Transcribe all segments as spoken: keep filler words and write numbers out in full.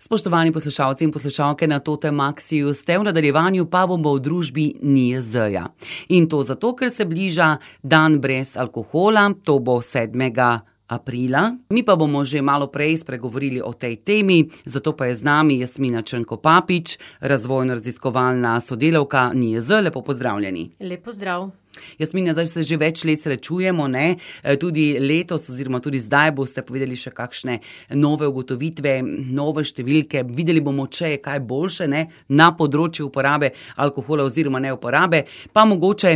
Spoštovani poslušalci in poslušalke na Totem Maxiju, ste v nadaljevanju pa bomo v družbi N I J Z-ja. In to zato, ker se bliža dan brez alkohola, to bo sedmega aprila. Mi pa bomo že malo prej spregovorili o tej temi, zato pa je z nami Jasmina Črnko Papič, razvojno-raziskovalna sodelavka N I J Z. Lepo pozdravljeni. Lep pozdrav. Jasmina, zdaj se že več let srečujemo, ne? Tudi letos oziroma tudi zdaj boste povedali še kakšne nove ugotovitve, nove številke. Videli bomo, če je kaj boljše, ne? Na področju uporabe alkohola oziroma neuporabe. Pa mogoče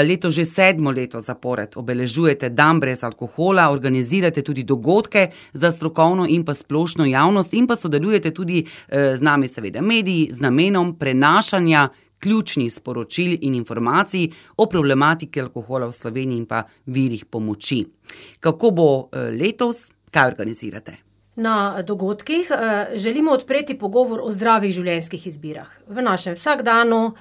leto že sedmo leto zapored obeležujete dan brez alkohola, organizirate tudi dogodke za strokovno in pa splošno javnost in pa sodelujete tudi z nami seveda mediji z namenom prenašanja ključnih sporočil in informacij o problematiki alkohola v Sloveniji in pa virih pomoči. Kako bo letos? Kaj organizirate? Na dogodkih želimo odpreti pogovor o zdravih življenjskih izbirah v našem vsakdanu,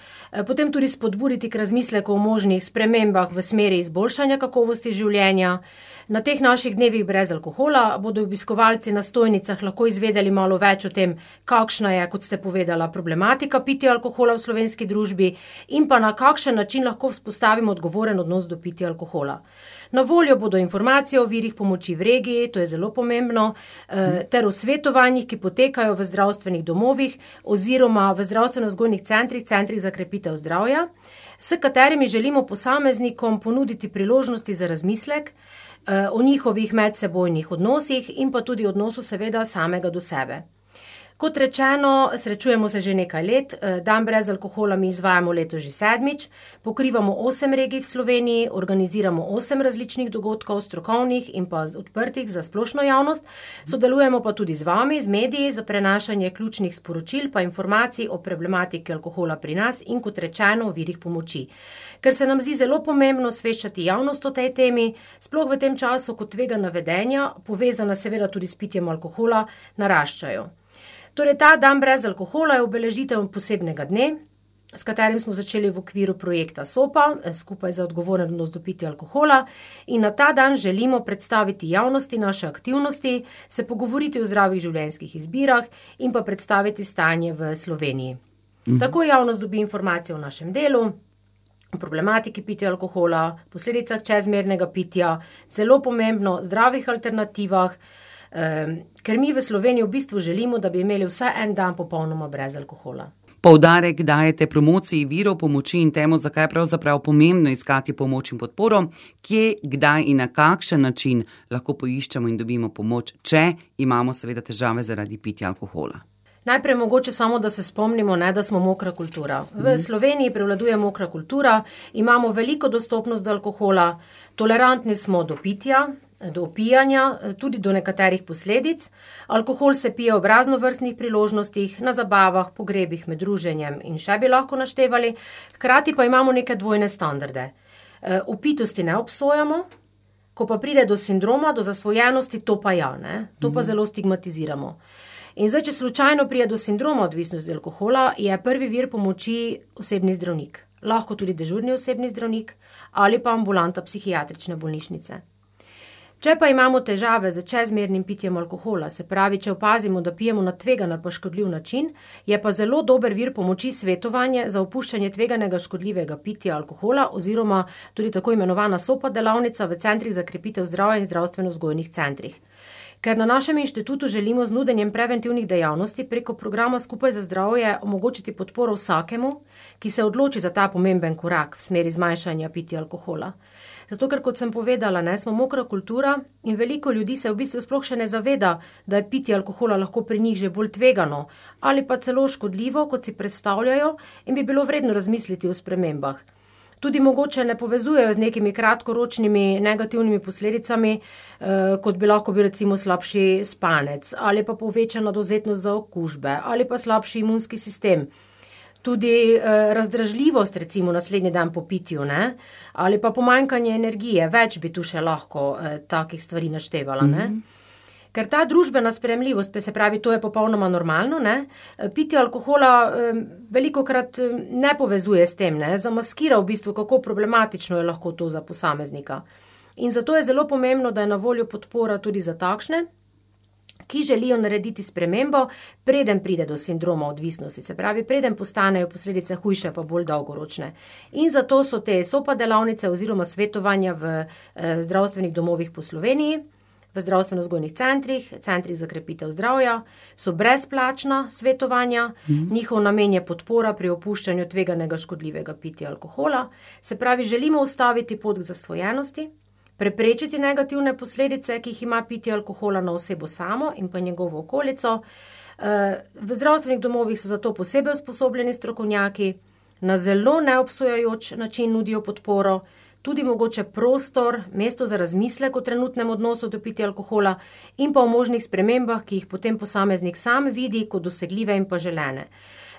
potem tudi spodbuditi k razmisleku o možnih spremembah v smeri izboljšanja kakovosti življenja. Na teh naših dnevih brez alkohola bodo obiskovalci na stojnicah lahko izvedeli malo več o tem, kakšna je, kot ste povedala, problematika pitja alkohola v slovenski družbi in pa na kakšen način lahko vzpostavimo odgovoren odnos do pitja alkohola. Na voljo bodo informacije o virih pomoči v regiji, to je zelo pomembno, ter o svetovanjih, ki potekajo v zdravstvenih domovih oziroma v zdravstveno-vzgojnih centrih, centrih za krepitev zdravja, s katerimi želimo posameznikom ponuditi priložnosti za razmislek o njihovih medsebojnih odnosih in pa tudi odnosu seveda samega do sebe. Kot rečeno, srečujemo se že nekaj let, dan brez alkohola mi izvajamo leto že sedmič, pokrivamo osem regij v Sloveniji, organiziramo osem različnih dogodkov, strokovnih in pa odprtih za splošno javnost, sodelujemo pa tudi z vami, z mediji, za prenašanje ključnih sporočil pa informacij o problematiki alkohola pri nas in kot rečeno o virih pomoči. Ker se nam zdi zelo pomembno osveščati javnost o tej temi, sploh v tem času, ko tvegana vedenja, povezana seveda tudi s pitjem alkohola, naraščajo. Torej, ta dan brez alkohola je obeležitev posebnega dne, s katerim smo začeli v okviru projekta SOPA, skupaj za odgovoren odnos do pitja alkohola, in na ta dan želimo predstaviti javnosti naše aktivnosti, se pogovoriti o zdravih življenjskih izbirah in pa predstaviti stanje v Sloveniji. Mhm. Tako javnost dobi informacije o našem delu, o problematiki pitja alkohola, posledicah čezmernega pitja, zelo pomembno, zdravih alternativah, ker mi v Sloveniji v bistvu želimo, da bi imeli vsaj en dan popolnoma brez alkohola. Poudarek dajete promociji virov pomoči in temu, zakaj je pravzaprav pomembno iskati pomoč in podporo, kje, kdaj in na kakšen način lahko poiščemo in dobimo pomoč, če imamo seveda težave zaradi pitja alkohola. Najprej mogoče samo, da se spomnimo, ne, da smo mokra kultura. V Sloveniji prevladuje mokra kultura, imamo veliko dostopnost do alkohola, tolerantni smo do pitja, do opijanja, tudi do nekaterih posledic. Alkohol se pije ob raznovrstnih priložnostih, na zabavah, pogrebih, med druženjem in še bi lahko naštevali. Hkrati pa imamo neke dvojne standarde. Opitosti ne obsojamo, ko pa pride do sindroma, do zasvojenosti, to pa ja, ne? To pa zelo stigmatiziramo. In zdaj, če slučajno pride do sindroma odvisnosti alkohola, je prvi vir pomoči osebni zdravnik. Lahko tudi dežurni osebni zdravnik ali pa ambulanta psihiatrične bolnišnice. Če pa imamo težave z čezmernim pitjem alkohola, se pravi, če opazimo, da pijemo na tvegan ali pa škodljiv način, je pa zelo dober vir pomoči svetovanje za opuščanje tveganega škodljivega pitja alkohola oziroma tudi tako imenovana SOPA delavnica v centrih za krepitev zdravja in zdravstveno-vzgojnih centrih. Ker na našem inštitutu želimo z nudenjem preventivnih dejavnosti preko programa Skupaj za zdravje omogočiti podporo vsakemu, ki se odloči za ta pomemben korak v smeri zmanjšanja pitja alkohola. Zato, ker kot sem povedala, ne, smo mokra kultura in veliko ljudi se v bistvu sploh še ne zaveda, da je pitje alkohola lahko pri njih že bolj tvegano ali pa celo škodljivo, kot si predstavljajo in bi bilo vredno razmisliti o spremembah. Tudi mogoče ne povezujejo z nekimi kratkoročnimi negativnimi posledicami, kot bi lahko bil recimo slabši spanec ali pa povečana dovzetnost za okužbe ali pa slabši imunski sistem. Tudi eh, razdražljivost recimo naslednji dan po pitju, ne? Ali pa pomanjkanje energije, več bi tu še lahko eh, takih stvari naštevala, ne? Mm-hmm. Ker ta družbena sprejemljivost, se pravi, to je popolnoma normalno, ne? Pitje alkohola eh, velikokrat ne povezuje s tem, ne? Zamaskira v bistvu, kako problematično je lahko to za posameznika. In zato je zelo pomembno, da je na voljo podpora tudi za takšne, ki želijo narediti spremembo, preden pride do sindroma odvisnosti, se pravi, preden postanejo posledice hujše pa bolj dolgoročne. In zato so te SOPA delavnice oziroma svetovanja v eh, zdravstvenih domovih po Sloveniji, v zdravstveno-vzgojnih centrih, centrih za krepitev zdravja, so brezplačna svetovanja, mm. njihov namen je podpora pri opuščanju tveganega škodljivega pitja alkohola, se pravi, želimo ustaviti pot k zasvojenosti, preprečiti negativne posledice, ki jih ima pitje alkohola na osebo samo in pa njegovo okolico. V zdravstvenih domovih so zato posebej usposobljeni strokovnjaki, na zelo neobsojajoč način nudijo podporo, tudi mogoče prostor, mesto za razmislek o trenutnem odnosu do pitja alkohola in pa o možnih spremembah, ki jih potem posameznik sam vidi kot dosegljive in pa želene.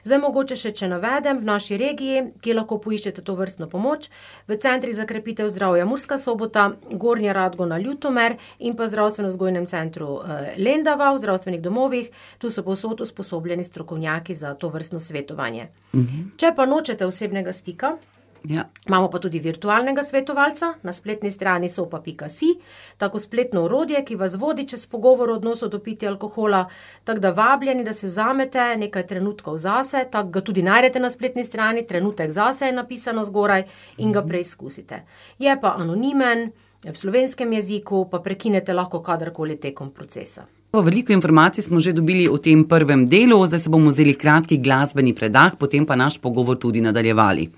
Zdaj mogoče še, če navedem, v naši regiji, kjer lahko poiščete to vrstno pomoč, v centrih za krepitev zdravja Murska Sobota, Gornja Radgona, Ljutomer in pa zdravstveno-vzgojnem centru Lendava v zdravstvenih domovih, tu so povsod usposobljeni strokovnjaki za to vrstno svetovanje. Mhm. Če pa nočete osebnega stika, ja. Imamo pa tudi virtualnega svetovalca na spletni strani sopa pika si, tako spletno orodje, ki vas vodi čez pogovor o odnosu do pitja alkohola, tako da vabljeni, da se vzamete nekaj trenutkov zase, tako ga tudi najdete na spletni strani, trenutek zase je napisano zgoraj in ga preizkusite. Je pa anonimen, v slovenskem jeziku, pa prekinete lahko kadarkoli tekom procesa. Veliko informacij smo že dobili v tem prvem delu, zdaj se bomo vzeli kratki glasbeni predah, potem pa naš pogovor tudi nadaljevali.